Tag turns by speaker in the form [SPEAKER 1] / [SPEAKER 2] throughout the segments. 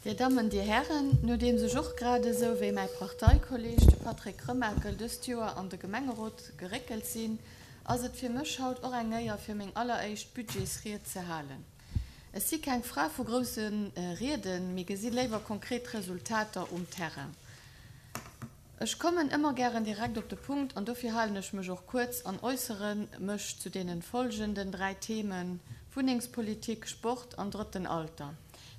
[SPEAKER 1] Dir Dammen, Dir Hären, nodeems ech och grad esou wéi mäi Parteikolleg, de Patrick Remakel, dëst Joer an de Gemengerot geréckelt sinn, ass et fir mech haut och eng Éier fir meng alleréischt Budgetsried ze halen. Ech si keng Fra vu grousse Rieden, mee gesi léiwer konkret Resultater um Terrain. Ech kommen ëmmer gären direkt op de Punkt an dofir halen ech mech och kuerz an äussere mech zu deenen folgenden 3 Themen, Wunnengspolitik, Sport an drëtten Alter.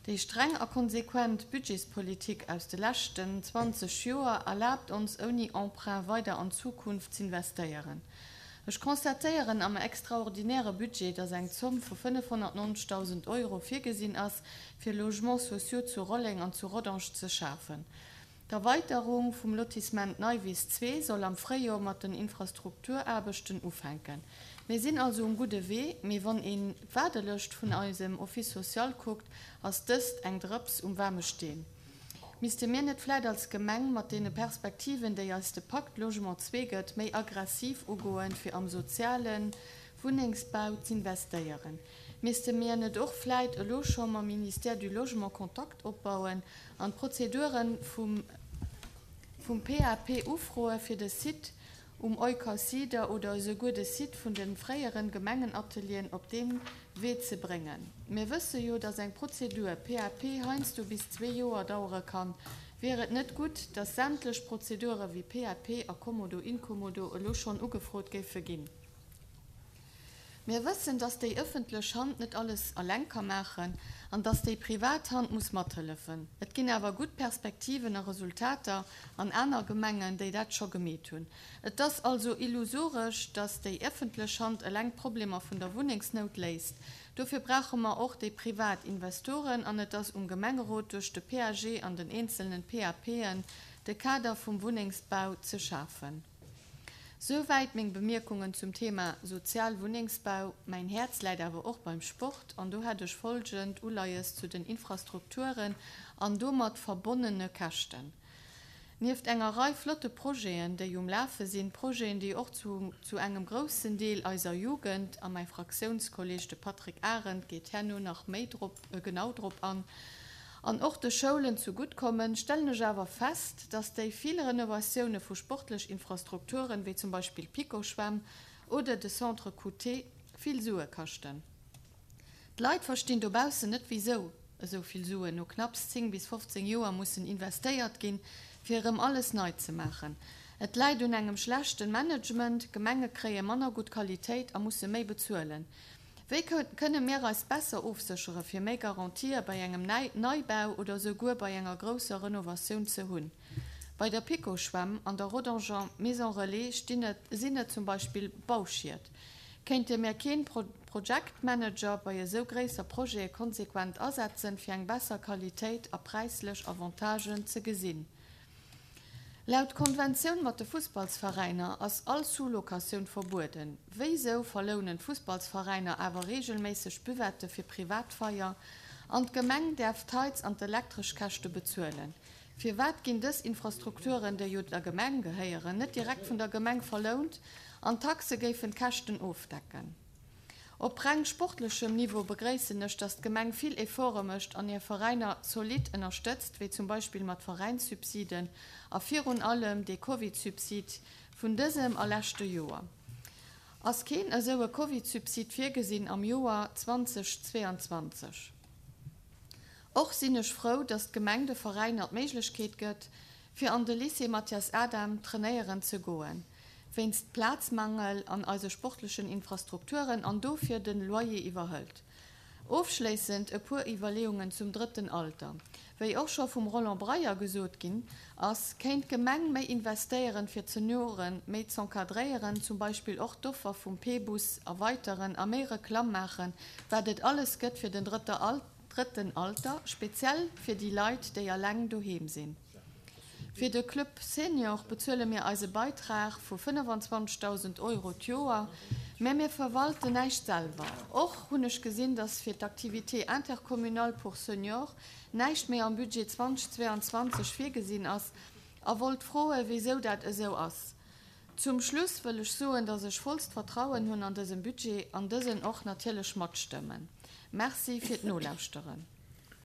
[SPEAKER 1] Déi streng a konsequent Budgetspolitik aus de leschten 20 Joer erlaabt ons ouni Emprunt weider an d'Zukunft z'investéieren. Ech constatéieren am extraordinäre Budget, dass eng Zomm vu 590.000 Euro virgesinn ass, fir Logements sociaux zu Rolleng an zu Rodange ze schafen. D'Erweiterung vum Lotissement Neiwiss 2 soll am Fréijoer mat den Infrastrukturaarbechten ufänken. Mir sinn also um gudde Wee, mee wann een d'Waardelëscht vun eisem Office social kuckt, ass dëst eng Drëps um waarme Steen. Misste mir net vläit als Gemeng mat deene Perspektiven, déi eis de Pacte Logement 2 gëtt, méi aggressiv ugoen, fir am soziale Wunnengsbau z'investéieren? Misste mir net och vläit elo scho mam Ministère du Logement Kontakt opbauen an d'Prozeduren vum vum PAP ufroe fir de Site um Eucosider oder esouguer de Site vun de fréieren Gemengenatelieren op dee Wee ze bréngen. Mir wësse jo, dass eng Prozedur PAP heiansdo bis zwee Joer dauere kann. Wier et net gutt, dass sämtlech Prozedure wéi PAP a Kommodo-Inkommodo elo schonn ugefrot géife ginn? Mir wëssen, dass déi ëffentlech Hand net alles eleng ka maachen an dass déi privat Hand muss mathëllefen. Et ginn awer gutt Perspektiven a Resultater an aner Gemengen, déi dat scho gemeet hunn. Et ass also illusoresch, dass déi ëffentlech Hand eleng d'Problemer vun der Wunnengsnout léist. Dofir brauche mer och déi privat Investoren an et ass um Gemengerot, duerch de PAG an den eenzelnen PAPen de Kader vum Wunnengsbau ze schafen. Souwäit meng Bemierkungen zum Thema sozial Wunnengsbau. Mäin Häerz läit awer och beim Sport an do hätt ech folgend Uleies zu den Infrastrukturen an domat verbonnene Käschten. Nieft enger Rei flotte Projeten, déi um Lafe sinn, Projeten, déi och zu zu engem groussen Deel eiser Jugend, a mäi Fraktiounskolleg, de Patrick Arendt, geet herno nach méi drop genau drop an, an och de Schoulen zu gutt kommen, stellen ech awer fest, dass déi vill Renovatioune vu sportlech Infrastrukturen, wéi zum Beispill d'Piko-Schwämm oder de Centre QT, vill Sue kaschten. D'Leit verstinn dobaussen net, wéisou esou vill Suen no knapps 10 bis 15 Joer mussen investéiert ginn, fir erëm alles nei ze maachen. Et läit un engem schlechten Management, Gemenge kréie manner gutt Qualitéit a musse méi bezuelen. Wéi kënne mir eis besser ofséchere fir méi Garantië bei engem Neibau oder esouguer bei enger grousser Renovatioun ze hunn? Bei der PiKo-Schwämm an der Rodanger Maison Relais stinn et sinn et zum Beispill Bauschied. Kéinte mir keen Projectmanager bei esou gréisser Projete konsequent asetzen fir eng besser Qualitéit a präislech Avantagen ze gesinn? Laut Konventioun mat de Fussballsveräiner ass all Sous-Locatioun verbueden. Wéisou verlounen d'Fussballsveräiner awer reegelméisseg Buvette fir Privatfeier an d'Gemeng däerf d'Heiz an d'Elektreschkäschte bezuelen? Firwat ginn dës Infrastrukturen, déi jo der Gemeng gehéieren, net direkt vun der Gemeng verlount an d'Taxe géifen d'Käschten ofdecken? Op reng sportlechem Niveau begréissen ech, dass d'Gemeng vill Efforte mécht an hir Veräiner zolidd ënnerstëtzt, wéi zum Beispill mat Veräinssubsiden a virun allem dee Covid-Subsid vun dësem a leschte Joer. Ass keen esou e Covid-Subsid virgesinn am Joer 2022? Och sinn ech frou, dass d'Gemeng de Veräiner d'Méiglechkeet gëtt, fir an de Lycée Mathias Adam trainéieren ze goen. wéinst Plazmangel an eise sportlechen Infrastrukturen an dofir den Loyer iwwerhëlt. Ofschléissend e puer Iwwerleeungen zum drëtten Alter. Wéi och scho vum Roland Breyer gesot ginn ass, kéint d'Gemeng méi investéieren fir d'Senioren méi z'encadréieren, zum Beispill och d'Offer vum P-Bus erweiteren a méi Reklamm maachen, wat et alles gëtt fir den drëtten Alter, speziell fir déi Leit déi alleng doheem sinn. Fir de Club Senior bezuele mir eise Beitrag vu 25.000 Euro d'Joer, mä mir verwalten näischt selwer. Och hunn ech gesinn, dass fir d'Activité intercommunale pour seniors näischt méi am Budget 2022 virgesinn ass a wollt froe wéisou dat esou ass. Zum Schluss wëll ech soen, dass ech vollst Vertrauen hunn an dësem Budget an dësen och natierlech matstëmmen. Merci fir d'Nolauschteren.